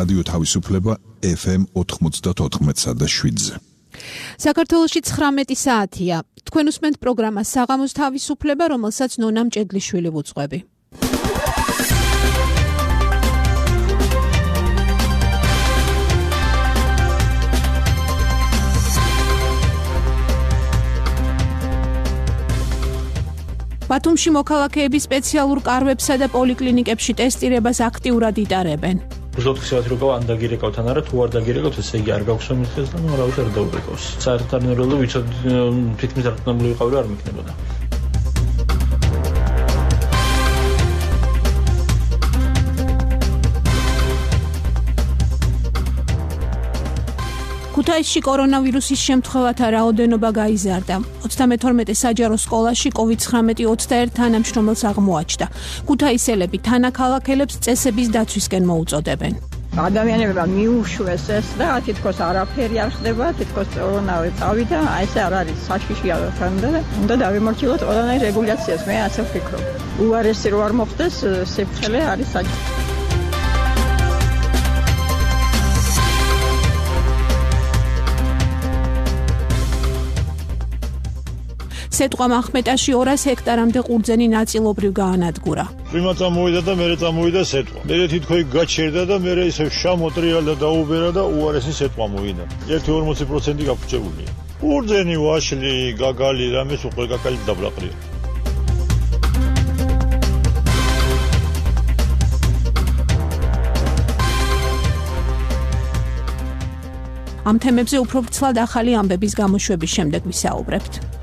რადიო თავისუფლება FM 94.7-ზე. საქართველოში 19 საათია. თქვენ უსმენთ პროგრამა საღამოს თავისუფლება, რომელსაც ნონა მჭედლიშვილი ვუძღვები. ბათუმში მოქალაქეები სპეციალურ კარვებსა და პოლიკლინიკებში ტესტირებას აქტიურად იტარებენ. უზოთქისათ როგორ ან დაგირეკავთ ან არა, თუ არ დაგირეკავთ, ესე იგი არ გაქვს მომიხეს და ნუ არავის არ დაურეკავს. საერთოდ ნერვული ვიცოდ თითქმის დარწმუნებული ვიყავი რომ არ მიქნებოდა. ქუთაისში კორონავირუსის შემთხვევათა რაოდენობა გაიზარდა. 32 საჯარო სკოლაში COVID-19 21 თანამშრომელს აღმოაჩნდა. ქუთაისელები თანაქალაქელებს წესების დაცვისკენ მოუწოდებენ. ადამიანებმა მიუშვეს ეს და თითქოს არაფერი არ ხდება, თითქოს კორონავი წავიდა, აი ეს არ არის საშიში აღარ და უნდა დავიმორჩილოთ ყველანაირ რეგულაციას, მე ასე ვფიქრობ. უარესი რო არ მოხდეს, სიფრთხილე არის საჭირო. სეტყვამ ახმეტაში 200 ჰექტარამდე ყურძენი ნაწილობრივ გაანადგურა. პრიმა წამოვიდა და მერე წამოვიდა სეტყვა. მერე თითქოს გაჩერდა და მერე ისევ შემოტრიალდა და დაუბერა და უარესი სეტყვა მოვიდა. 1-40% გაფუჭებულია. ყურძენი, ვაშლი, გაგალი, რამეს უკვე გაგალი დაბრაყრია. ამ თემებზე უფრო ვრცლად ახალი ამბების გამოშვების შემდეგ ვისაუბრებთ.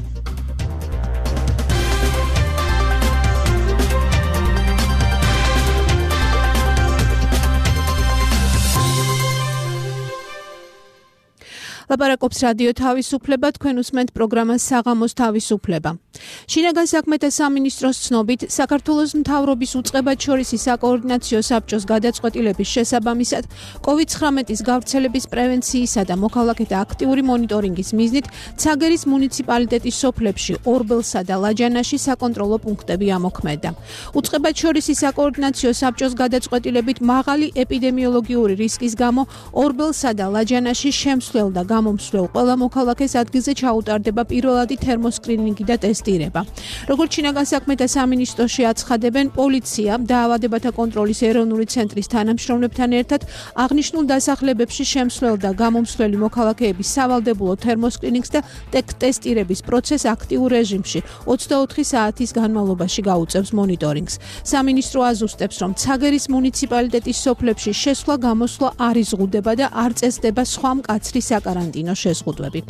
ლაპარაკობს რადიო თავისუფლება, თქვენ უსმენთ პროგრამას საღამოს თავისუფლება. შინაგან საქმეთა სამინისტროს ცნობით, საქართველოს მთავრობის უწყებათშორისი საკოორდინაციო საბჭოს გადაწყვეტილების შესაბამისად, COVID-19-ის გავრცელების პრევენციისა და მოქალაქეთა აქტიური მონიტორინგის მიზნით, ცაგერის მუნიციპალიტეტის სოფლებში, ორბელსა და ლაჯანაში საკონტროლო პუნქტები ამოქმედა. უწყებათშორისი საკოორდინაციო საბჭოს გადაწყვეტილებით მაღალი ეპიდემიოლოგიური რისკის გამო ორბელსა და ლაჯანაში შემსვლელ და გამომსვლელ ყველა მოქალაქეს ადგილზე ჩაუტარდება პირველადი თერმოსკრინინგი და ტესტირება. როგორც შინაგან საქმეთა სამინისტროში აცხადებენ, პოლიცია დაავადებათა კონტროლის ეროვნული ცენტრის თანამშრომლებთან ერთად აღნიშნულ დასახლებებში შემსვლელ და გამომსვლელი მოქალაქეების სავალდებულო თერმოსკრინინგს და ტესტირების პროცესს აქტიურ რეჟიმში 24 საათის განმავლობაში გაუწევს მონიტორინგს. სამინისტრო აზუსტებს, რომ ცაგერის მუნიციპალიტეტის სოფლებში შესვლა-გამოსვლა არ იზღუდება და არ წესდება სხვა მკაცრი საკარანტინო შეზღუდვები.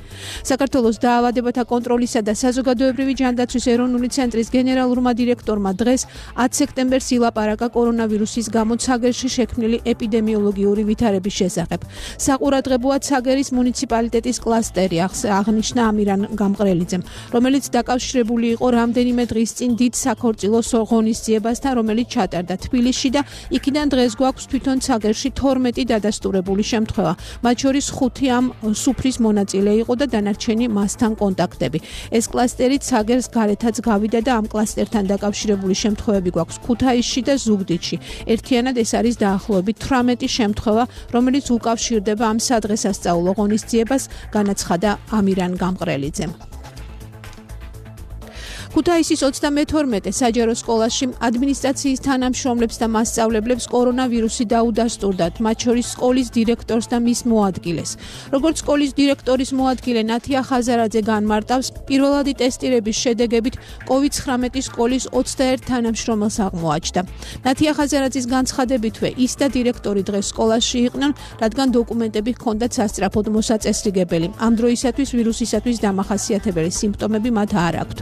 საქართველოს დაავადებათა კონტროლისა და საზოგადოებრივი ჯანდაცვის ეროვნული ცენტრის გენერალურმა დირექტორმა დღეს 10 სექტემბერს ილაპარაკა კორონავირუსის გამო ცაგერში შექმნილი ეპიდემიოლოგიური ვითარების შესახებ. საყურადღებოა ცაგერის მუნიციპალიტეტის კლასტერი, აღნიშნა ამირან გამყრელიძემ, რომელიც დაკავშირებული იყო რამდენიმე დღის წინ დიდ საქორწილო ღონისძიებასთან, რომელიც ჩატარდა თბილისში და იქიდან დღეს გვაქვს თვითონ ცაგერში 12 დადასტურებული შემთხვევა, მათ შორის 5 ამ სუფრის მონაწილე იყო და დანარჩენი მასთან კონტაქტები. ეს კლასტერი ცაგერს გარეთაც გავიდა და ამ კლასტერთან დაკავშირებული შემთხვევები გვაქვს ქუთაისში და ზუგდიდში. ერთიანად ეს არის დაახლოებით 18 შემთხვევა, რომელიც უკავშირდება ამ სადღესასწაულო ღონისძიებას, განაცხადა ამირან გამყრელიძემ. ქუთაისის 32 საჯარო სკოლაში ადმინისტრაციის თანამშრომლებს და მასწავლებლებს კორონავირუსი დაუდასტურდათ, მათ შორის სკოლის დირექტორს და მის მოადგილეს. როგორც სკოლის დირექტორის მოადგილე ნათია ხაზარაძე განმარტავს, პირველადი ტესტირების შედეგებით COVID-19 სკოლის 21 თანამშრომელს აღმოაჩნდა. ნათია ხაზარაძის განცხადებითვე, ის და დირექტორი დღეს სკოლაში იყვნენ, რადგან დოკუმენტები ჰქონდათ სასწრაფოდ მოსაწესრიგებელი. ამ დროისათვის ვირუსისათვის დამახასიათებელი სიმპტომები მათ არ აქვთ.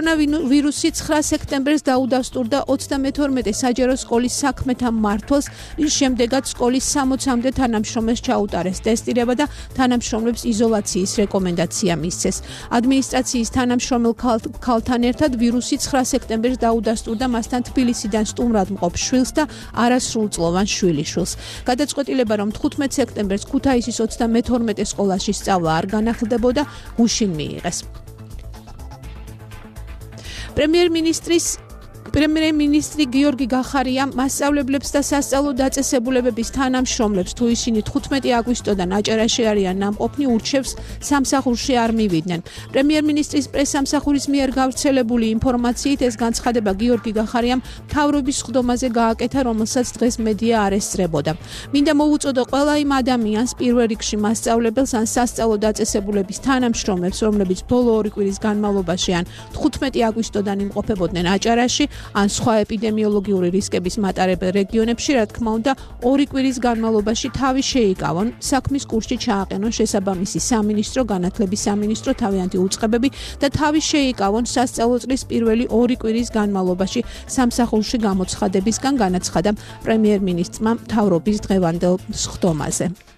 კორონავირუსი 9 სექტემბერს დაუდასტურდა 32 საჯარო სკოლის საქმეთა მმართველს, რის შემდეგაც სკოლის 60-მდე თანამშრომელს ჩაუტარეს ტესტირება და თანამშრომლებს იზოლაციის რეკომენდაცია მისცეს. ადმინისტრაციის თანამშრომელ ქალთან ერთად ვირუსი 9 სექტემბერს დაუდასტურდა მასთან თბილისიდან სტუმრად მყოფ შვილს და არასრულწლოვან შვილიშვილს. გადაწყვეტილება, რომ 15 სექტემბერს ქუთაისის 32 სკოლაში სწავლა არ განახლდებოდა, გუშინ მიიღეს. პრემიერ-მინისტრის პრემიერ-მინისტრი გიორგი გახარია მასწავლებლებს და სასწავლო დაწესებულებების თანამშრომლებს თუ ისინი 15 აგვისტოდან აჭარაში არიან ნამყოფნი ურჩევს სამსახურში არ მივიდნენ. პრემიერ-მინისტრის პრესსამსახურის მიერ გავრცელებული ინფორმაციით ეს განცხადება გიორგი გახარიამ მთავრობის სხდომაზე გააკეთა, რომელსაც დღეს მედია არ ესწრებოდა. მინდა მოუწოდო ყველა იმ ადამიანს, პირველ რიგში მასწავლებელს ან სასწავლო დაწესებულების თანამშრომლებს, რომლებიც ბოლო 2 კვირის განმავლობაში ან 15 აგვისტოდან იმყოფებოდნენ აჭარაში ან სხვა ეპიდემიოლოგიური რისკების მატარებელ რეგიონებში, რა თქმა უნდა, 2 კვირის განმავლობაში თავი შეიკავონ, საქმის კურსში ჩააყენონ შესაბამისი სამინისტრო, განათლების სამინისტრო, თავიანთი უწყებები და თავი შეიკავონ სასწავლო წლის პირველი 2 კვირის განმავლობაში სამსახურში გამოცხადებისგან, განაცხადა პრემიერ-მინისტრმა მთავრობის დღევანდელ სხდომაზე.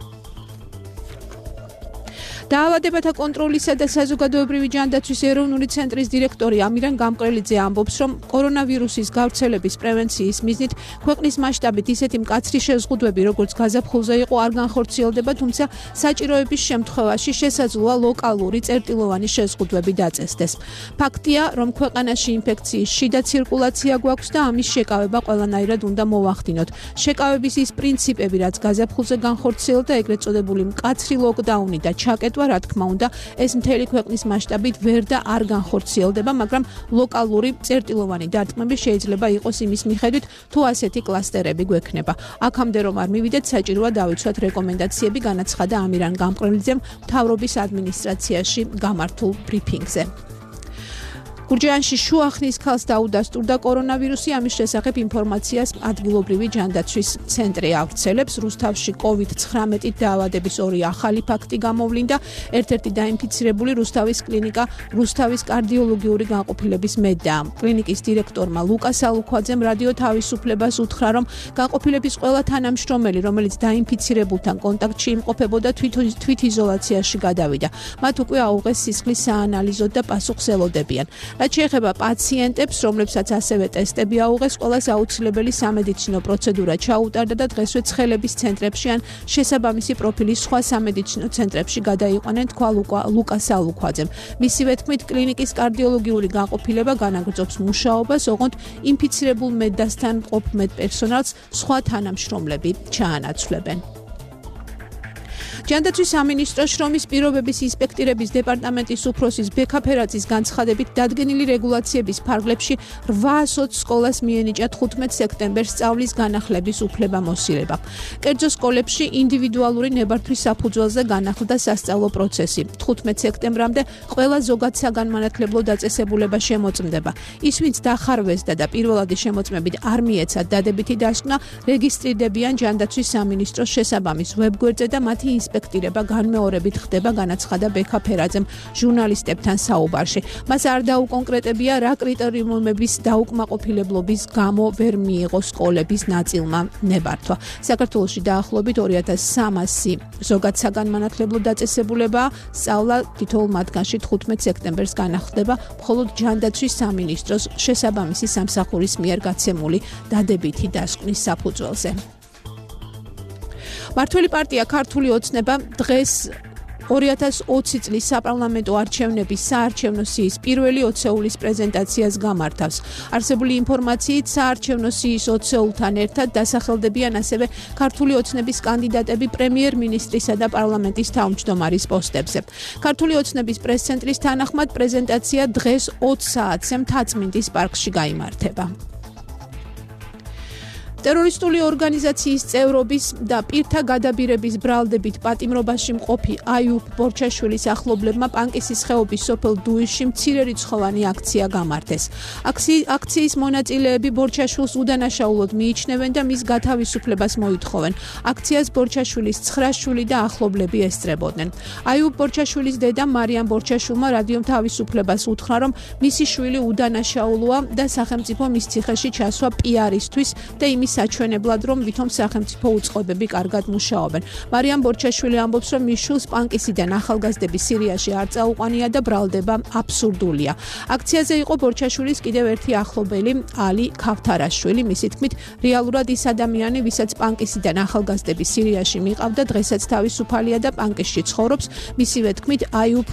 დაავადებათა კონტროლისა და საზოგადოებრივი ჯანდაცვის ეროვნული ცენტრის დირექტორი ამირან გამყრელიძე ამბობს, რომ კორონავირუსის გავრცელების პრევენციის მიზნით ქვეყნის მასშტაბით ისეთი მკაცრი შეზღუდვები, როგორც გაზაფხულზე იყო, არ განხორციელდება, თუმცა საჭიროების შემთხვევაში შესაძლოა ლოკალური წერტილოვანი შეზღუდვები დაწესდეს. ფაქტია, რომ ქვეყანაში ინფექციის შიდა ცირკულაცია გვაქვს და ამის შეკავება ყველანაირად უნდა მოვახდინოთ. შეკავების ის პრინციპები, რაც გაზაფხულზე განხორციელდა, ეგრეთ წოდებული მკაცრი ლოკდაუნი და ჩაკეტვა, რა თქმა უნდა, ეს მთელი ქვეყნის მასშტაბით ვერ და არ განხორციელდება, მაგრამ ლოკალური წერტილოვანი დარტყმები შეიძლება იყოს იმის მიხედვით, თუ ასეთი კლასტერები გვექნება. აქამდე რომ არ მივიდეთ, საჭიროა დავიცვათ რეკომენდაციები, განაცხადა ამირან გამყრელიძემ მთავრობის ადმინისტრაციაში გამართულ ბრიფინგზე. გურჯაანში შუახნის ქალს დაუდასტურდა კორონავირუსი, ამის შესახებ ინფორმაციას ადგილობრივი ჯანდაცვის ცენტრი ავრცელებს. რუსთავში COVID-19 დაავადების 2 ახალი ფაქტი გამოვლინდა. ერთ-ერთი დაინფიცირებული რუსთავის კლინიკა რუსთავის კარდიოლოგიური განყოფილების მედია. კლინიკის დირექტორმა ლუკა სალუქვაძემ რადიო თავისუფლებას უთხრა, რომ განყოფილების ყველა თანამშრომელი, რომელიც დაინფიცირებულთან კონტაქტში იმყოფებოდა, თვითიზოლაციაში გადავიდა. მათ უკვე აუღეს სისხლის საანალიზო და პასუხს ელოდებიან. რაც შეეხება პაციენტებს, რომლებსაც ასევე ტესტები აუღეს, ყველას აუცილებელი სამედიცინო პროცედურა ჩაუტარდა და დღესვე ცხელების ცენტრებში ან შესაბამისი პროფილის სხვა სამედიცინო ცენტრებში გადაიყვანენ, თქვა ლუკა სალუქვაძემ. მისივე თქმით, კლინიკის კარდიოლოგიური განყოფილება განაგრძობს მუშაობას, ოღონდ ინფიცირებულ მედდასთან მყოფ მედპერსონალს სხვა თანამშრომლები ჩაანაცვლებენ. ჯანდაცვის სამინისტროს შრომის პირობების ინსპექტირების დეპარტამენტის უფროსის ბექა ფერაძის განცხადებით დადგენილი რეგულაციების ფარგლებში 820 სკოლას მიენიჭა 15 სექტემბერს სწავლის განახლების უფლებამოსილება. კერძო სკოლებში ინდივიდუალური ნებართვის საფუძველზე განახლდა სასწავლო პროცესი. 15 სექტემბრამდე ყველა ზოგად საგანმანათლებლო დაწესებულება შემოწმდება. ის, ვინც დახარვესდა და პირველადი შემოწმებით არ მიეცათ დადებითი დასკვნა, რეგისტრირდებიან ჯანდაცვის სამინისტროს შესაბამის ვებგვერდზე და მათი ინსპექტირება განმეორებით ხდება, განაცხადა ბექა ფერაძემ ჟურნალისტებთან საუბარში. მას არ დაუკონკრეტებია, რა კრიტერიუმების დაუკმაყოფილებლობის გამო ვერ მიიღო სკოლების ნაწილმა ნებართვა. საქართველოში დაახლოებით 2300 ზოგად საგანმანათლებლო დაწესებულება სწავლა თითოეულ მათგანში 15 სექტემბერს განახლდება, მხოლოდ ჯანდაცვის სამინისტროს შესაბამისი სამსახურის მიერ გაცემული დადებითი დასკვნის საფუძველზე. მართველი პარტია ქართული ოცნება დღეს 2020 წლის საპარლამენტო არჩევნების საარჩევნო სიის პირველი ოცეულის პრეზენტაციას გამართავს. არსებული ინფორმაციით საარჩევნო სიის ოცეულთან ერთად დასახელდებიან ასევე ქართული ოცნების კანდიდატები პრემიერ-მინისტრისა და პარლამენტის თავმჯდომარის პოსტებზე. ქართული ოცნების პრეს-ცენტრის თანახმად პრეზენტაცია დღეს 20 საათზე მთაწმინდის პარკში გაიმართება. ტერორისტული ორგანიზაციის წევრობის და პირთა გადაბირების ბრალდებით პატიმრობაში მყოფი აიუბ ბორჩაშვილის ახლობლებმა პანკისის ხეობის სოფელ დუიშში მცირერიცხოვანი აქცია გამართეს. აქციის მონაწილეები ბორჩაშვილს უდანაშაულოდ მიიჩნევენ და მის გათავისუფლებას მოითხოვენ. აქციას ბორჩაშვილის 9 შვილი და ახლობლები ესწრებოდნენ. აიუბ ბორჩაშვილის დედა მარიამ ბორჩაშვილმა რადიომ თავისუფლებას უთხრა, რომ მისი შვილი უდანაშაულოა და სახელმწიფო მის ციხეში ჩასვა პიარისთვის და იმის საჩვენებლად, რომ ვითომ სახელმწიფო უწყობები კარგად მუშაობენ. მარიამ ბორჩაშვილი ამბობს, რომ მის შვილს პანკისიდან ახალგაზრდები სირიაში არ წაუყვანია და ბრალდება აბსურდულია. აქციაზე იყო ბორჩაშვილის კიდევ ერთი ახლობელი ალი ქავთარაშვილი. მისი თქმით, რეალურად ის ადამიანი, ვისაც პანკისიდან ახალგაზრდები სირიაში მიყავდა, დღესაც თავისუფალია და პანკისში ცხოვრობს. მისივე თქმით, აიუბ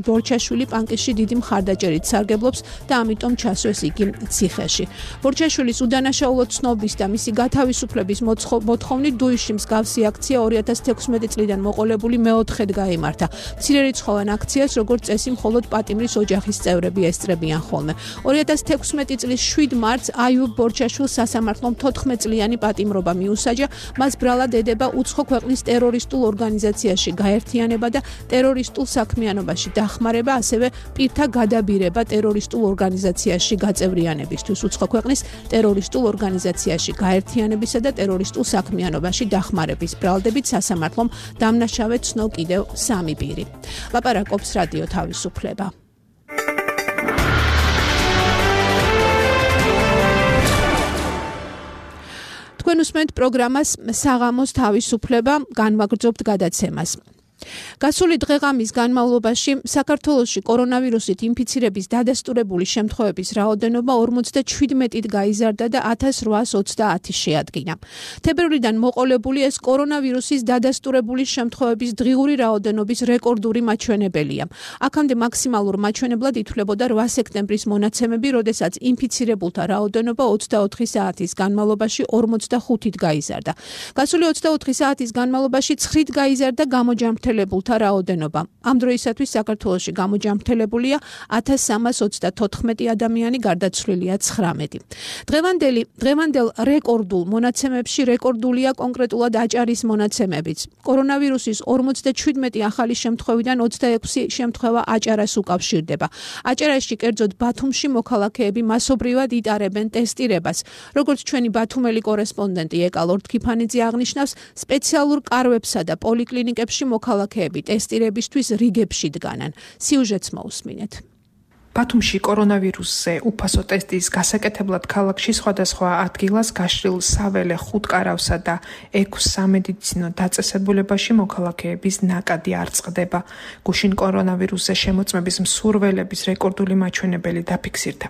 ბორჩაშვილი პანკისში დიდი მხარდაჭერით სარგებლობს და ამიტომ ჩასვეს იგი ციხეში. ბორჩაშვილის უდანაშაულოდ ცნობის და მისი გათავისუფლების მოთხოვნით დუიშში მსგავსი აქცია 2016 წლიდან მოყოლებული მეოთხედ გაიმართა. მცირერიცხოვან აქციას, როგორც წესი, მხოლოდ პატიმრის ოჯახის წევრები ესწრებიან ხოლმე. 2016 წლის 7 მარტს აიუბ ბორჩაშვილს სასამართლომ 14 წლიანი პატიმრობა მიუსაჯა. მას ბრალად ედება უცხო ქვეყნის ტერორისტულ ორგანიზაციაში გაერთიანება და ტერორისტულ საქმიანობაში დახმარება, ასევე პირთა გადაბირება ტერორისტულ ორგანიზაციაში გაწევრიანებისთვის, უცხო ქვეყნის ტერორისტულ ორგანიზაციაში გაერთიანებისა და ტერორისტულ საქმიანობაში დახმარების ბრალდებით სასამართლომ დამნაშავე ცნო კიდევ 3 პირი. ლაპარაკობს რადიო თავისუფლება. თქვენ უსმენთ პროგრამას საღამოს თავისუფლება, განვაგრძობთ გადაცემას. გასული დღეღამის განმავლობაში საქართველოში კორონავირუსით ინფიცირების დადასტურებული შემთხვევების რაოდენობა 57-ით გაიზარდა და 1830 შეადგინა. თებერვლიდან მოყოლებული ეს კორონავირუსის დადასტურებული შემთხვევების დღიური რაოდენობის რეკორდული მაჩვენებელია. აქამდე მაქსიმალურ მაჩვენებლად ითვლებოდა 8 სექტემბრის მონაცემები, როდესაც ინფიცირებულთა რაოდენობა 24 საათის განმავლობაში 45-ით გაიზარდა. გასული 24 საათის განმავლობაში 9-ით გაიზარდა გამოჯამრთელებულთა რაოდენობა. ამ დროისათვის საქართველოში გამოჯამრთელებულია 1334 ადამიანი, გარდაცვლილია 19. დღევანდელ რეკორდულ მონაცემებში რეკორდულია კონკრეტულად აჭარის მონაცემებიც. კორონავირუსის 57 ახალი შემთხვევიდან 26 შემთხვევა აჭარას უკავშირდება. აჭარაში, კერძოდ ბათუმში მოქალაქეები მასობრივად იტარებენ ტესტირებას. როგორც ჩვენი ბათუმელი კორესპონდენტი ეკა ლორთქიფანიძე აღნიშნავს, სპეციალურ კარვებსა და პოლიკლინიკებში მოქალაქეები ტესტირებისთვის რიგებში დგანან. სიუჟეტს მოусმინეთ. ბათუმში კორონავირუსზე უფასო ტესტის გასაკეთებლად ქალაქში სხვადასხვა ადგილას გაშლილ საველე ხუთკარავსა და 6 სამედიცინო დაწესებულებაში მოქალაქეების ნაკადი არ წყდება. გუშინ კორონავირუსზე შემოწმების მსურველების რეკორდული მაჩვენებელი დაფიქსირდა.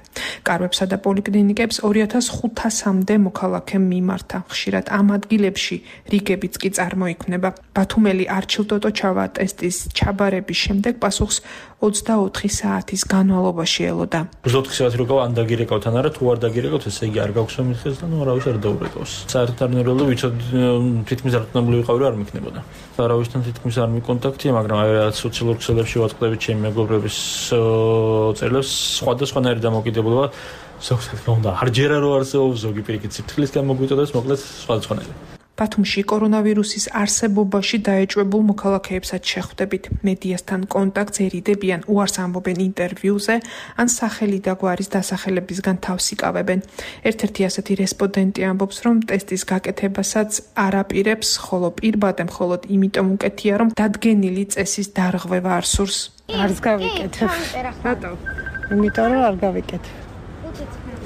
კარვებსა და პოლიკლინიკებს 2500-მდე მოქალაქე მიმართა. ხშირად ამ ადგილებში რიგებიც კი წარმოიქმნება. ბათუმელი არჩილ ტოტოჩავა ტესტის ჩაბარების შემდეგ პასუხს 24 საათის განმავლობაში ელოდა. 24 საათი როგორ ან დაგირეკავთ ან არა, თუ არ დაგირეკავთ, ესე იგი არ გაქვს მომიხეს და ნუ არავის არ დაურეკავს. საერთოდ არ ნერველი ვიცოდ თითქმის დარწმუნებული ვიყავი, რომ არ მიქნებოდა. არავისთან თითქმის არ მიკონტაქტია, მაგრამ აი რაც სოციალურ ქსელებში ვაწყდებით ჩემი მეგობრების წერილებს, სხვადასხვანაირი დამოკიდებულება ზოგადად უნდა არჯერა რო არსებობს, ზოგი პირიქით სიფრთხილისგან მოგვიწოდებს, მოკლედ სხვადასხვანაირი. ბათუმში კორონავირუსის არსებობაში დაეჭვებულ მოქალაქეებსაც შეხვდებით. მედიასთან კონტაქტს ერიდებიან, უარს ამბობენ ინტერვიუზე, ან სახელი და გვარის დასახელებისგან თავს იკავებენ. ერთ-ერთი ასეთი რესპონდენტი ამბობს, რომ ტესტის გაკეთებასაც არ აპირებს, ხოლო პირბადე მხოლოდ იმიტომ უკეთია, რომ დადგენილი წესის დარღვევა არ სურს. არც გავიკეთებ. რატო? იმიტომ რომ არ გავიკეთებ.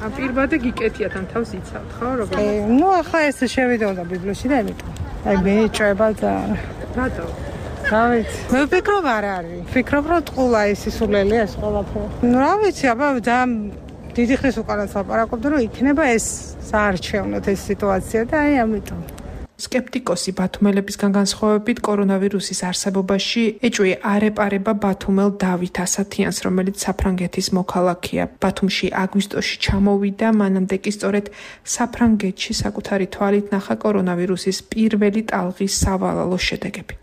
პირბადე გიკეთიათ ან თავს იცავთ, ხო, როგორ? ნუ ახლა ეს შევიდოდა ბიბლიოში და იმიტომ. აი მეჭება ძალიან. რატო? რა ვიცი. მე ვფიქრობ არ არის. ვფიქრობ რომ ტყულა ის სულელი ეს ყველაფერი. ნუ რა ვიცი, აბა ძალიან დიდი ხნის უკანაც ლაპარაკობდი რომ იქნება ეს საარჩევნოდ ეს სიტუაცია და აი ამიტომ. სკეპტიკოსი ბათუმელებისგან განსხვავებით კორონავირუსის არსებობაში ეჭვი არ ეპარება ბათუმელ დავით ასათიანს, რომელიც საფრანგეთის მოქალაქეა. ბათუმში აგვისტოში ჩამოვიდა, მანამდე კი სწორედ საფრანგეთში საკუთარი თვალით ნახა კორონავირუსის პირველი ტალღის სავალალო შედეგები.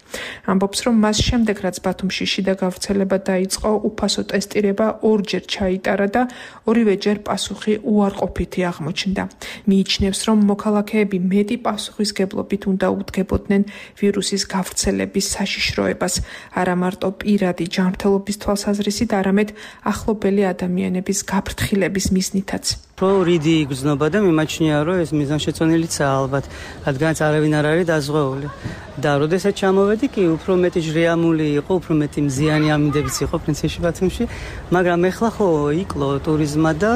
ამბობს, რომ მას შემდეგ, რაც ბათუმში შიდა გავრცელება დაიწყო, უფასო ტესტირება ორჯერ ჩაიტარა და ორივეჯერ პასუხი უარყოფითი აღმოჩნდა. მიიჩნევს, რომ მოქალაქეები მეტი პასუხისგებლობით უნდა უდგებოდნენ ვირუსის გავრცელების საშიშროებას, არა მარტო პირადი ჯანმრთელობის თვალსაზრისით, არამედ ახლობელი ადამიანების გაფრთხილების მიზნითაც. უფრო რიდი იგრძნობა და მიმაჩნია რომ ეს მიზანშეწონილიცაა ალბათ, რადგანაც არავინ არ არის დაზღვეული. და როდესაც ჩამოვედი კი უფრო მეტი ჟრიამული იყო, უფრო მეტი მზიანი ამინდებიც იყო პრინციპში ბათუმში, მაგრამ ეხლა ხო იკლო ტურიზმა და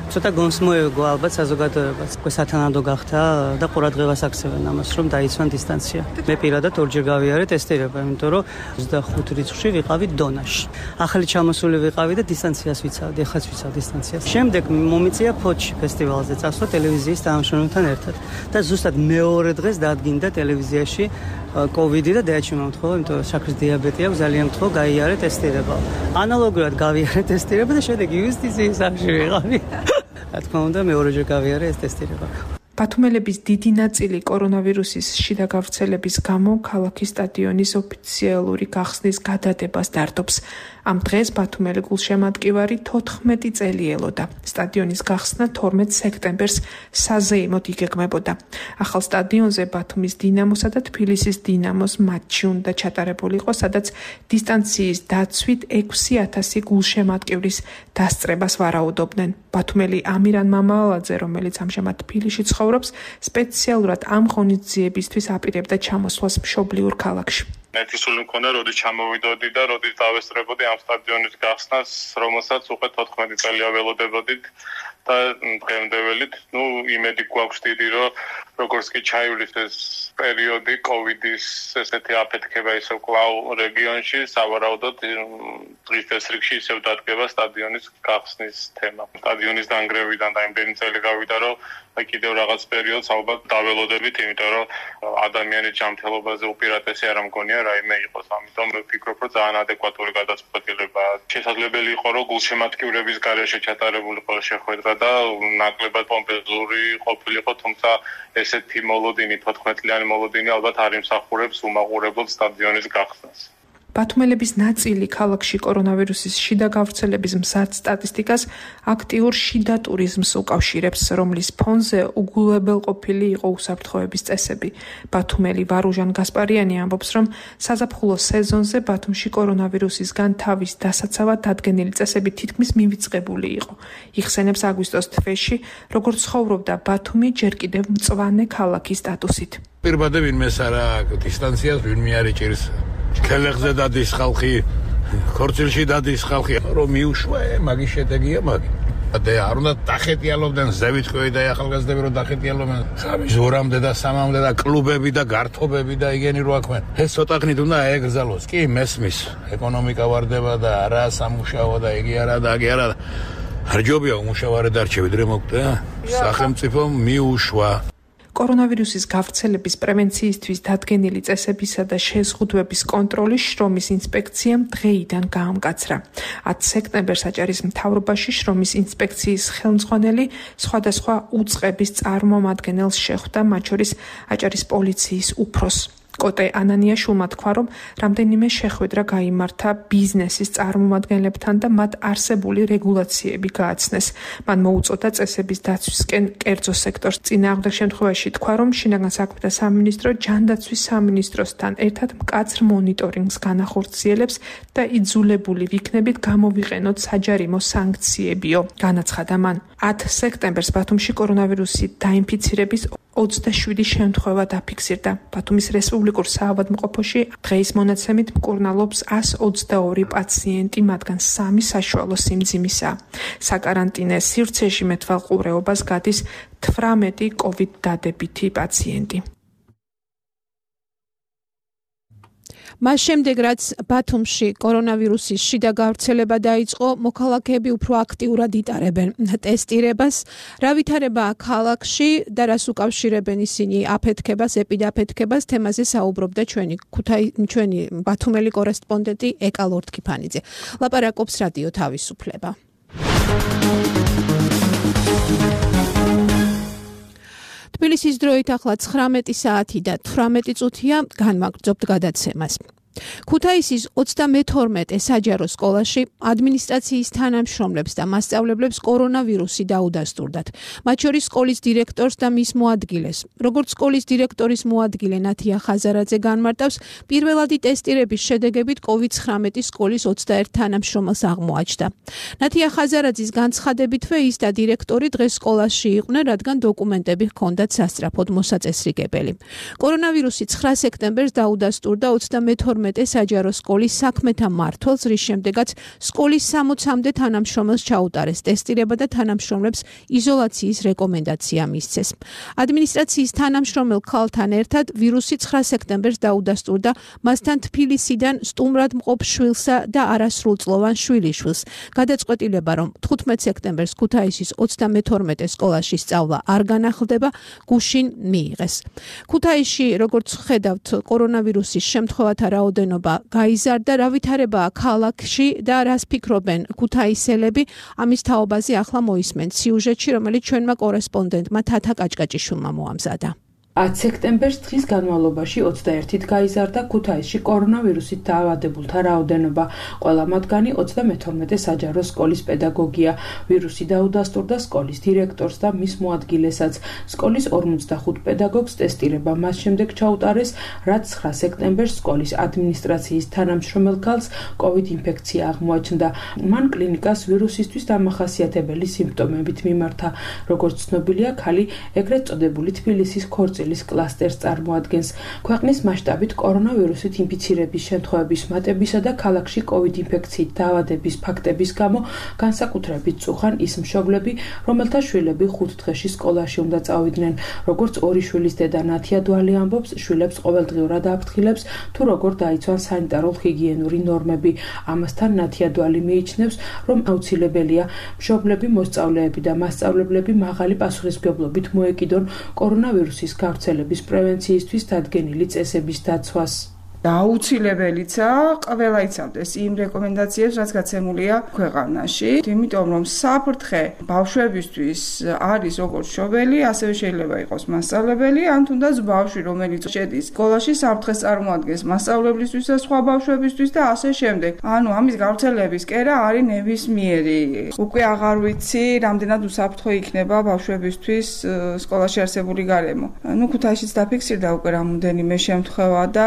ცოტა გონსმოეგო ალბათ საზოგადოებას. სათანადო გახდა და ყურადღებას აქცევენ ამას, რომ დაიცვან დისტანცია. მე პირადად ორჯერ გავიარე ტესტირება, იმიტომ რომ 25 რიცხვში ვიყავი დონაში. ახალი ჩამოსული ვიყავი და დისტანციას ვიცავდი, ეხლაც ვიცავ დისტანციას. შემდეგ მომიწია ფოთში ფესტივალზე წასვლა ტელევიზიის თანამშრომელთან ერთად და ზუსტად მეორე დღეს დადგინდა ტელევიზიაში COVID და დაიჭირა მომთხოვა, იმიტომ რომ შაქრის დიაბეტი აქვს, ძალიან მთხოვ გაიარე ტესტირება. ანალოგურად გავიარე ტესტირება და შემდეგ იუსტიციის სახლში ვიყავი. რა თქმა უნდა, მეორეჯერ გავიარე ეს ტესტირება. ბათუმელების დიდი ნაწილი კორონავირუსის შიდა გავრცელების გამო ქალაქის სტადიონის ოფიციალური გახსნის გადადებას დარდობს. ამ დღეს ბათუმელი გულშემატკივარი 14 წელი ელოდა. სტადიონის გახსნა 12 სექტემბერს საზეიმოდ იგეგმებოდა. ახალ სტადიონზე ბათუმის დინამოსა და თბილისის დინამოს მატჩი უნდა ჩატარებულიყო, სადაც დისტანციის დაცვით 6000 გულშემატკივრის დასწრებას ვარაუდობდნენ. ბათუმელი ამირან მამალაძე, რომელიც ამჟამად თბილისში ცხოვრობს, სპეციალურად ამ ღონისძიებისთვის აპირებდა ჩამოსვლას მშობლიურ ქალაქში. მეთისული მქონდა, როდის ჩამოვიდოდი და როდის დავესწრებოდი ამ სტადიონის გახსნას, რომელსაც უკვე 14 წელია ველოდებოდით და დღემდეველით, იმედი გვაქვს დიდი, რომ როგორც კი ჩაივლის ეს პერიოდი COVID-ის ესეთი აფეთქება ისევ კვლავ რეგიონში, სავარაუდოდ დღის წესრიგში ისევ დადგება სტადიონის გახსნის თემა. სტადიონის დანგრევიდან და იმდენი წელი გავიდა, რომ კიდევ რაღაც პერიოდს ალბათ დაველოდებით, იმიტომ რომ ადამიანის ჯანმრთელობაზე უპირატესი არ მგონია რაიმე იყოს. ამიტომ ვფიქრობ, რომ ძალიან ადეკვატური გადაწყვეტილებაა. შესაძლებელი იყო, რომ გულშემატკივრების გარეშე ჩატარებულიყო შეხვედრა და ნაკლებად პომპეზური ყოფილიყო, თუმცა ესეთი მოლოდინი, 14 წლიანი მოლოდინი ალბათ არ იმსახურებს უმაღურებლად სტადიონის გახსნას. ბათუმელების ნაწილი ქალაქში კორონავირუსის შიდა გავრცელების მზარდ სტატისტიკას აქტიურ შიდა ტურიზმს უკავშირებს, რომლის ფონზე უგულებელყოფილი იყო უსაფრთხოების წესები. ბათუმელი ვარუჟან გასპარიანი ამბობს, რომ საზაფხულო სეზონზე ბათუმში კორონავირუსისგან თავის დასაცავად დადგენილი წესები თითქმის მივიწყებული იყო. იხსენებს აგვისტოს თვეში, როგორც ცხოვრობდა ბათუმი ჯერ კიდევ მწვანე ქალაქის სტატუსით. პირბადე ვინმეს არა დისტანციას ვინმე არ იჭირს. ქელეხზე დადის ხალხი, ქორწილში დადის ხალხი, რომ მიუშვა, მაგის შედეგია მაგი. და არ უნდა დახეტიალობდნენ ზევითქვევი და ახალგაზრდები რომ დახეტიალობდნენ ხამის 2-მდე და 3-მდე და კლუბები და გართობები და იგენი რო აქვენ. ეს ცოტა ხნით უნდა აეგრძალოს. კი, მესმის, ეკონომიკა ვარდება და არა სამუშაო და იგი არა და აგი არა. არ ჯობია უმუშავარედ არჩე ვიდრე მოკვდა. სახელმწიფომ მიუშვა. კორონავირუსის გავრცელების პრევენციისთვის დადგენილი წესებისა და შეზღუდვების კონტროლის შრომის ინსპექციამ დღეიდან გაამკაცრა. 10 სექტემბერს აჭარის მთავრობაში შრომის ინსპექციის ხელმძღვანელი სხვადასხვა უწყების წარმომადგენელს შეხვდა, მათ შორის აჭარის პოლიციის უფროსს. კოტე ანანიაშვილმა თქვა, რომ რამდენიმე შეხვედრა გაიმართა ბიზნესის წარმომადგენლებთან და მათ არსებული რეგულაციები გააცნეს. მან მოუწოდა წესების დაცვისკენ კერძო სექტორს. წინააღმდეგ შემთხვევაში თქვა, რომ შინაგან საქმეთა სამინისტრო ჯანდაცვის სამინისტროსთან ერთად მკაცრ მონიტორინგს განახორციელებს და იძულებული ვიქნებით გამოვიყენოთ საჯარიმო სანქციებიო. განაცხადა მან. 10 სექტემბერს ბათუმში კორონავირუსით დაინფიცირების 27 შემთხვევა დაფიქსირდა. ბათუმის რესპუბლიკურ საავადმყოფოში დღეის მონაცემით მკურნალობს 122 პაციენტი, მათგან 3 საშუალო სიმძიმისაა. საკარანტინე სივრცეში მეტვალყურეობას გადის 18 COVID დადებითი პაციენტი. მას შემდეგ, რაც ბათუმში კორონავირუსის შიდა გავრცელება დაიწყო, მოქალაქეები უფრო აქტიურად იტარებენ ტესტირებას. რა ვითარებაა ქალაქში და რას უკავშირებენ ისინი აფეთქებას, ეპიდაფეთქებას, თემაზე საუბრობდა ჩვენი ბათუმელი კორესპონდენტი ეკა ლორთქიფანიძე. ლაპარაკობს რადიო თავისუფლება. თბილისის დროით ახლა 19 საათი და 18 წუთია, განმაგრძობთ გადაცემას. ქუთაისის 32 საჯარო სკოლაში ადმინისტრაციის თანამშრომლებს და მასწავლებლებს კორონავირუსი დაუდასტურდათ. მათ შორის სკოლის დირექტორს და მის მოადგილეს. როგორც სკოლის დირექტორის მოადგილე ნათია ხაზარაძე განმარტავს, პირველადი ტესტირების შედეგებით COVID-19 სკოლის 21 თანამშრომელს აღმოაჩნდა. ნათია ხაზარაძის განცხადებითვე ის და დირექტორი დღეს სკოლაში იყვნენ, რადგან დოკუმენტები ჰქონდათ სასწრაფოდ მოსაწესრიგებელი. კორონავირუსი 9 სექტემბერს დაუდასტურდა 32 საჯარო სკოლის საქმეთა მმართველს, რის შემდეგაც სკოლის 60-მდე თანამშრომელს ჩაუტარეს ტესტირება და თანამშრომლებს იზოლაციის რეკომენდაცია მისცეს. ადმინისტრაციის თანამშრომელ ქალთან ერთად ვირუსი 9 სექტემბერს დაუდასტურდა მასთან თბილისიდან სტუმრად მყოფ შვილსა და არასრულწლოვან შვილიშვილს. გადაწყვეტილება, რომ 15 სექტემბერს ქუთაისის 32 სკოლაში სწავლა არ განახლდება, გუშინ მიიღეს. ქუთაისში, როგორც ხედავთ, კორონავირუსის შემთხვევათა რაოდენობა გაიზარდა, რა ვითარებაა ქალაქში და რას ფიქრობენ ქუთაისელები, ამის თაობაზე ახლა მოისმენთ სიუჟეტში, რომელიც ჩვენმა კორესპონდენტმა თათა კაჭკაჭიშვილმა მოამზადა. 10 სექტემბერს დღის განმავლობაში 21-ით გაიზარდა ქუთაისში კორონავირუსით დაავადებულთა რაოდენობა. ყველა მათგანი 32 საჯარო სკოლის პედაგოგია. ვირუსი დაუდასტურდა სკოლის დირექტორს და მის მოადგილესაც. სკოლის 45 პედაგოგს ტესტირება მას შემდეგ ჩაუტარეს, რაც 9 სექტემბერს სკოლის ადმინისტრაციის თანამშრომელ ქალს COVID ინფექცია აღმოაჩნდა. მან კლინიკას ვირუსისთვის დამახასიათებელი სიმპტომებით მიმართა. როგორც ცნობილია, ქალი ეგრეთ წოდებული თბილისის ქორწილის კლასტერს წარმოადგენს. ქვეყნის მასშტაბით კორონავირუსით ინფიცირების შემთხვევების მატებისა და ქალაქში COVID ინფექციით დაავადების ფაქტების გამო განსაკუთრებით წუხან ის მშობლები, რომელთა შვილები 5 დღეში სკოლაში უნდა წავიდნენ. როგორც ორი შვილის დედა ნათია დვალი ამბობს, შვილებს ყოველდღიურად აფრთხილებს თუ როგორ დაიცვან სანიტარულ-ჰიგიენური ნორმები. ამასთან ნათია დვალი მიიჩნევს, რომ აუცილებელია მშობლები, მოსწავლეები და მასწავლებლები მაღალი პასუხისმგებლობით მოეკიდონ კორონავირუსის გავრცელების პრევენციისთვის დადგენილი წესების დაცვას. აუცილებელია ყველა იცავდეს იმ რეკომენდაციებს, რაც გაცემულია ქვეყანაში, იმიტომ რომ საფრთხე ბავშვებისთვის არის როგორც მშობელი, ასევე შეიძლება იყოს მასწავლებელი, ან თუნდაც ბავშვი, რომელიც შედის სკოლაში, საფრთხეს წარმოადგენს მასწავლებლისთვის და სხვა ბავშვებისთვის და ასე შემდეგ. ანუ ამის გავრცელების კერა არის ნებისმიერი. უკვე აღარ ვიცი, რამდენად უსაფრთხო იქნება ბავშვებისთვის სკოლაში არსებული გარემო. ქუთაისშიც დაფიქსირდა უკვე რამოდენიმე შემთხვევა და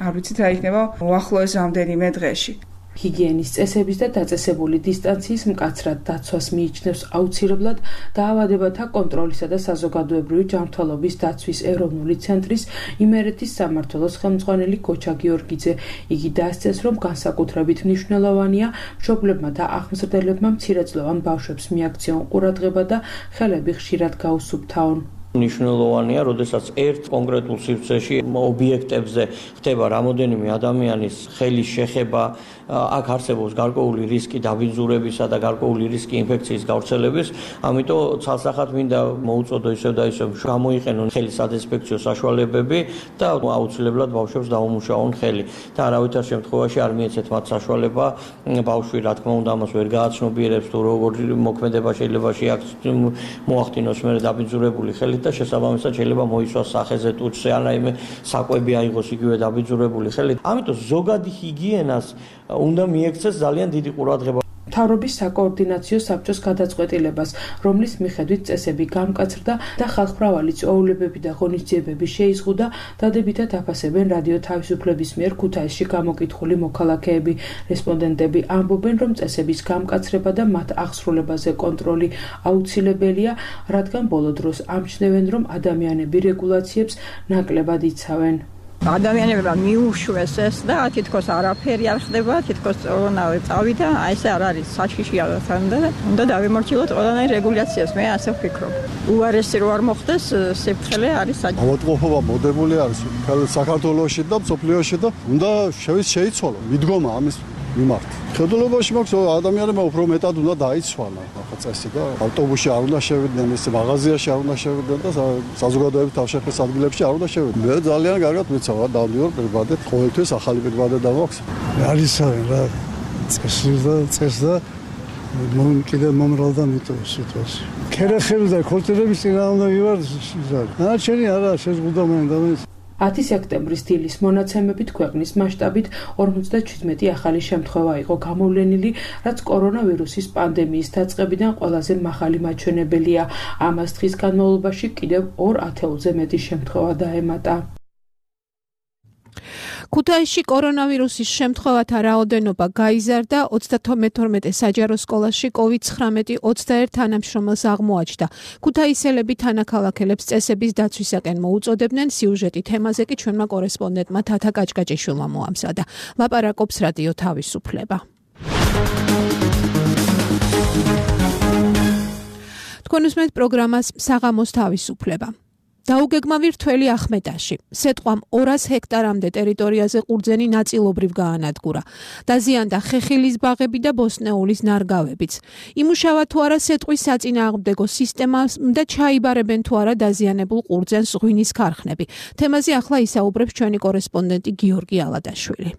არ ვიცით რა იქნება უახლოეს რამდენიმე დღეში. ჰიგიენის წესების და დაწესებული დისტანციის მკაცრად დაცვას მიიჩნევს აუცილებლად დაავადებათა კონტროლისა და საზოგადოებრივი ჯანმრთელობის დაცვის ეროვნული ცენტრის იმერეთის სამმართველოს ხელმძღვანელი გოჩა გიორგიძე. იგი დასწეს, რომ განსაკუთრებით მნიშვნელოვანია მშობლებმა და აღმზრდელებმა მცირეწლოვან ბავშვებს მიაქციონ ყურადღება და ხელები ხშირად გაუსუფთავონ. მნიშვნელოვანია, როდესაც ერთ კონკრეტულ სივრცეში ობიექტებზე ხდება რამოდენიმე ადამიანის ხელის შეხება, აქ არსებობს გარკვეული რისკი დაბინძურებისა და გარკვეული რისკი ინფექციის გავრცელების, ამიტომ ცალსახად მინდა მოუწოდო ისევ და ისევ გამოიყენონ ხელის სადეზინფექციო საშუალებები და აუცილებლად ბავშვებს დაუმუშაონ ხელი. და არავითარ შემთხვევაში არ მიეცეთ მათ საშუალება, ბავშვი რა თქმა უნდა ამას ვერ გააცნობიერებს თუ როგორ მოქმედება შეიძლება მოახდინოს მერე დაბინძურებული ხელი და შესაბამისად შეიძლება მოისვას სახეზე ტუჩზე ან რაიმე საკვები აიღოს იგივე დაბინძურებული ხელი. ამიტომ ზოგადი ჰიგიენას უნდა მიექცეს ძალიან დიდი ყურადღება. მთავრობის საკოორდინაციო საბჭოს გადაწყვეტილებას, რომლის მიხედვით წესები გამკაცრდა და ხალხმრავალი წვეულებები და ღონისძიებები შეიზღუდა, დადებითად აფასებენ რადიო თავისუფლების მიერ ქუთაისში გამოკითხული მოქალაქეები. რესპონდენტები ამბობენ, რომ წესების გამკაცრება და მათ აღსრულებაზე კონტროლი აუცილებელია, რადგან ბოლო დროს ამჩნევენ, რომ ადამიანები რეგულაციებს ნაკლებად იცავენ. ადამიანებმა მიუშვეს ეს და თითქოს არაფერი არ ხდება, თითქოს ყველანაირ წავიდა, აი ეს არ არის საშიში აღთან და უნდა დავიმორჩილოთ ყველანაირ რეგულაციას, მე ასე ვფიქრობ. უარესი რო არ მოხდეს, საფრთხე არის საჭირო. ავადმყოფობა მოდებული არის საქართველოში და მსოფლიოში და უნდა შეიცვალო, მიდგომა ამის მიმართ. ხედულობაში მაქვს ადამიანებმა უფრო მეტად უნდა დაიცვალა ახლა წესი და ავტობუსში არ უნდა შევიდნენ, ეს მაღაზიაში არ უნდა შევიდნენ და საზოგადოებრივ თავშეყრის ადგილებში არ უნდა შევიდნენ. მე ძალიან კარგად ვიცავ, დავდივარ პირბადეთ, ყოველთვის ახალი პირბადე დამაქვს. არის რა წეს და კიდე მომრალდა მიტოვის სიტუაცია. ქერახები და ქორწილების წინა უნდა ვივარ. ნაჩვენი არა შეზღუდა მან და 10 სექტემბრის დილის მონაცემებით ქვეყნის მასშტაბით 57 ახალი შემთხვევა იყო გამოვლენილი, რაც კორონავირუსის პანდემიის დაწყებიდან ყველაზე მაღალი მაჩვენებელია. ამას დღის განმავლობაში კიდევ 2 ათეულზე მეტი შემთხვევა დაემატა. ქუთაისში კორონავირუსის შემთხვევათა რაოდენობა გაიზარდა, 32 საჯარო სკოლაში COVID-19 21 თანამშრომელს აღმოაჩნდა. ქუთაისელები თანაქალაქელებს წესების დაცვისაკენ მოუწოდებდნენ. სიუჟეტი თემაზე კი ჩვენმა კორესპონდენტმა თათა კაჭკაჭიშვილმა მოამზადა. ლაპარაკობს რადიო თავისუფლება. თქვენ უსმენთ პროგრამას საღამოს თავისუფლება. დაუგეგმა ვირთველი ახმეტაში. სეტყვამ 200 ჰექტარამდე ტერიტორიაზე ყურძენი ნაწილობრივ გაანადგურა. დაზიანდა ხეხილის ბაღები და ბოსტნეულის ნარგავებიც. იმუშავა თუ არა სეტყვის საწინააღმდეგო სისტემა და ჩაიბარებენ თუ არა დაზიანებულ ყურძენს ღვინის ქარხნები. თემაზე ახლა ისაუბრებს ჩვენი კორესპონდენტი გიორგი ალადაშვილი.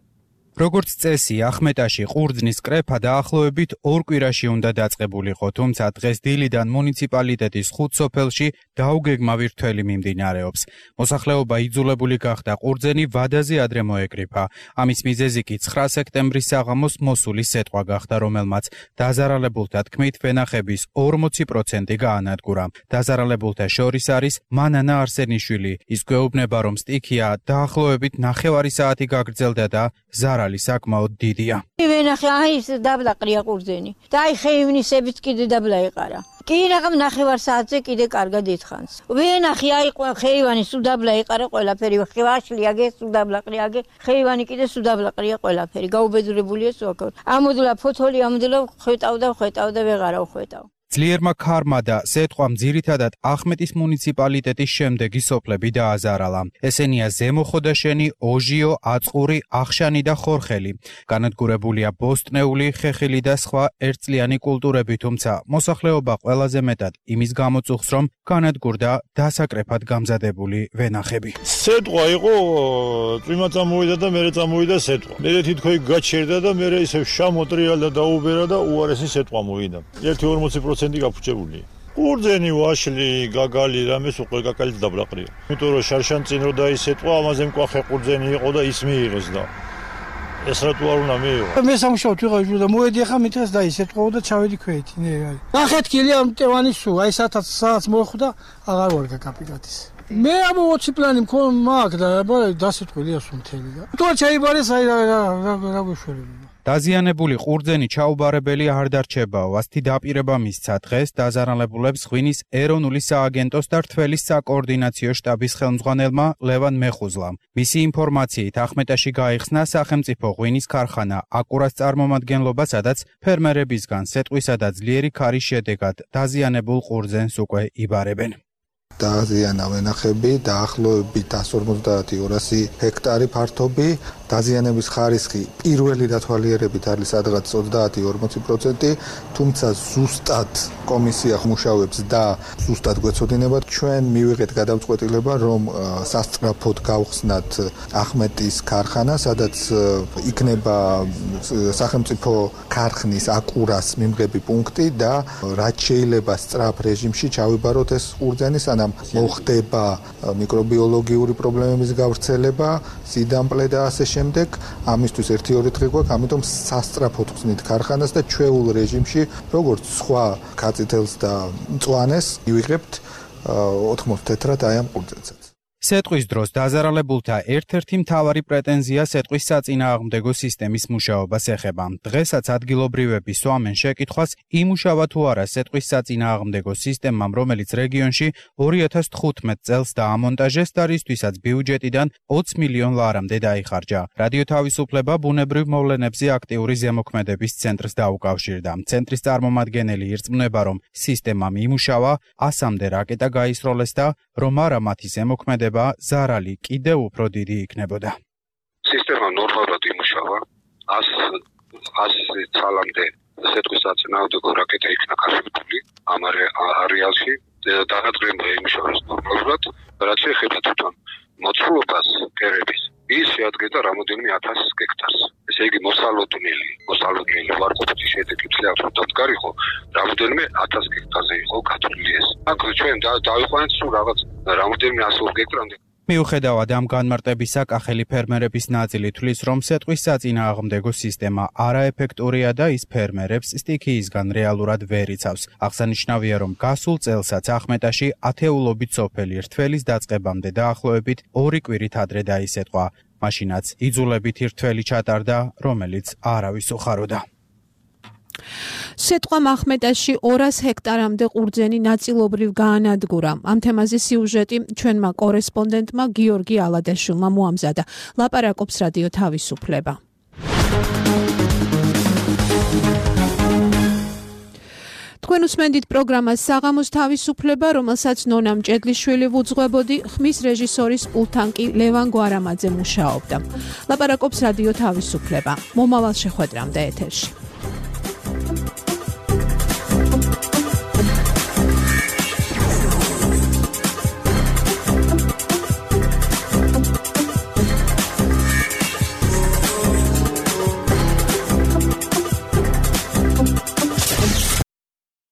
როგორც წესი, ახმეტაში ყურძნის კრეფა დაახლოებით 2 კვირაში უნდა დაწყებულიყო, თუმცა დღეს დილიდან მუნიციპალიტეტის 5 სოფელში დაუგეგმა ვირთველი მიმდინარეობს. მოსახლეობა იძულებული გახდა ყურძენი ვადაზე ადრე მოეკრიფა. ამის მიზეზი კი 9 სექტემბრის საღამოს მოსული სეტყვა გახდა, რომელმაც დაზარალებულთა თქმით ვენახების 40% გაანადგურა. დაზარალებულთა შორის არის მანანა არსენიშვილი. ის გვეუბნება, რომ სტიქია დაახლოებით 9 საათი გაგრძელდა და ზარალი საკმაოდ დიდია. ვენახე ის დაბლაყრია ყურძენი და აი ხეივნისებიც კიდე დაბლა იყარა. კი რაღამ 9 საათზე კიდე კარგად ითხანს. ვენახე აი ხეივანი სუდაბლა იყარა ყველაფერი, ვაშლიაგე სუდაბლაყრიაგე, ხეივანი კიდე სუდაბლაყრია ყველაფერი. გაუბედურებულია სულ. ამოდლა ფოთოლი ამოდლა ხვეტავდა ვეღარა ხვეტავ. ძლიერმა ქარმა და სეტყვამ ძირითადად ახმეტის მუნიციპალიტეტის შემდეგი სოფლები დააზარალა. ესენია ზემო ხოდაშენი, ოჟიო, აწყური, ახშანი და ხორხელი. განადგურებულია ბოსტნეული, ხეხილი და სხვა ერთწლიანი კულტურები, თუმცა მოსახლეობა ყველაზე მეტად იმის გამოწუხს, რომ განადგურდა დასაკრეფად გამზადებული ვენახები. სეტყვა იყო, წვიმა წამოვიდა და მერე წამოვიდა სეტყვა. მერე თითქოს გაჩერდა და მერე ისე შამოტრიალდა დაუბერა და უარესი სეტყვა მოვიდა. 1-40% გაფუჭებულია. ყურძენი, ვაშლი, გაგალი, რამეს უკვე გაგალიც დაბლაყრია. იმიტომ რომ შარშან წინ რო დაისეტყვა, ამაზე მკვახე ყურძენი იყო და ის მიიღეს და ეს რატო არ უნდა მიიღო? მე სამშობლოდ ვიყავი და მოვედი ახლა მითხრას დაისეტყვა და ჩავედი ქვეითი. ნახეთქილი ამ ტევანი სულ, აი საათს მოხვდა, აღარ ვარ გაკაპიტატის. მე ამ 20 პლანი მაქვს და დასეტყვილია სულ მთელი და. თუ ჩაიბარეს აი რა გვეშველება. დაზიანებული ყურძენი ჩაუბარებელი არ დარჩებაო, ასეთი დაპირება მისცა დღეს დაზარალებულებს ღვინის ეროვნული სააგენტოს და რთველის საკოორდინაციო შტაბის ხელმძღვანელმა ლევან მეხუზლამ. მისი ინფორმაციით ახმეტაში გაიხსნა სახელმწიფო ღვინის ქარხანა აკურას წარმომადგენლობა, სადაც ფერმერებისგან სეტყვისა და ძლიერი ქარის შედეგად დაზიანებულ ყურძენს უკვე იბარებენ. დაზიანა ვენახები დაახლოებით 150-200 ჰექტარი ფართობი. დაზიანების ხარისხი პირველი დათვალიერებით არის სადღაც 30-40%, თუმცა ზუსტად კომისია მუშაობს და ზუსტად გვეცოდინებათ. ჩვენ მივიღეთ გადაწყვეტილება, რომ სასწრაფოდ გავხსნათ ახმეტის ქარხანა, სადაც იქნება სახელმწიფო ქარხნის აკურას მიმღები პუნქტი და რაც შეიძლება სწრაფ რეჟიმში ჩავიბაროთ ეს ყურძენი, სანამ მოხდება მიკრობიოლოგიური პრობლემების გავრცელება, სიდამპლე და ასე შემდეგ. ამისთვის 1-2 დღე გვაქვს, ამიტომ სასწრაფოდ ხსნით ქარხანას და ჩვეულ რეჟიმში, როგორც სხვა კაცითელს და მწვანეს, მივიღებთ 80 თეთრად აი ამ ყურძენსაც. სეტყვის დროს დაზარალებულთა ერთ-ერთი მთავარი პრეტენზია სეტყვის საწინააღმდეგო სისტემის მუშაობას ეხება. დღესაც ადგილობრივები სვამენ შეკითხვას, იმუშავა თუ არა სეტყვის საწინააღმდეგო სისტემამ, რომელიც რეგიონში 2015 წელს დაამონტაჟეს და რისთვისაც ბიუჯეტიდან 20 მილიონ ლარამდე დაიხარჯა. რადიო თავისუფლება ბუნებრივ მოვლენებზე აქტიური ზემოქმედების ცენტრს დაუკავშირდა. ცენტრის წარმომადგენელი ირწმუნება, რომ სისტემამ იმუშავა, 100-მდე რაკეტა გაისროლეს და რომ არა მათი ზემოქმედება ზარალი კიდევ უფრო დიდი იქნებოდა. სისტემა ნორმალურად იმუშავა, 100 წლამდე სეტყვის საწინააღმდეგო რაკეტა იქნა გაშენებული ამ არეალში. დანადგრება იმუშავეს ნორმალურად, რაც ეხება თვითონ მოცულობას კერების. ის შეადგენდა რამოდენიმე 1000 ჰექტარს. ესე იგი მოსალოდნელი ვარყოფითი შედეგი ძლიერად რომ დამდგარიყო, რამოდენიმე 1000 ჰექტარზე იყო გათვლილი ეს. აქ ჩვენ დავიყვანეთ სულ რაღაც რამოდენიმე 100 ჰექტარამდე. მიუხედავად ამ განმარტებისა, კახელი ფერმერების ნაწილი თვლის, რომ სეტყვის საწინააღმდეგო სისტემა არაეფექტურია და ის ფერმერებს სტიქიისგან რეალურად ვერ იცავს. აღსანიშნავია, რომ გასულ წელსაც ახმეტაში ათეულობით სოფელი რთველის დაწყებამდე დაახლოებით 2 კვირით ადრე დაისეტყვა. მაშინაც იძულებით რთველი ჩატარდა, რომელიც არავის უხაროდა. სეტყვამ ახმეტაში 200 ჰექტარამდე ყურძენი ნაწილობრივ გაანადგურა. ამ თემაზე სიუჟეტი ჩვენმა კორესპონდენტმა გიორგი ალადაშვილმა მოამზადა. ლაპარაკობს რადიო თავისუფლება. თქვენ უსმენდით პროგრამას საღამოს თავისუფლება, რომელსაც ნონა მჭედლიშვილი ვუძღვებოდი, ხმის რეჟისორის პულტთან კი ლევან გვარამაძე მუშაობდა. ლაპარაკობს რადიო თავისუფლება. მომავალ შეხვედრამდე ეთერში.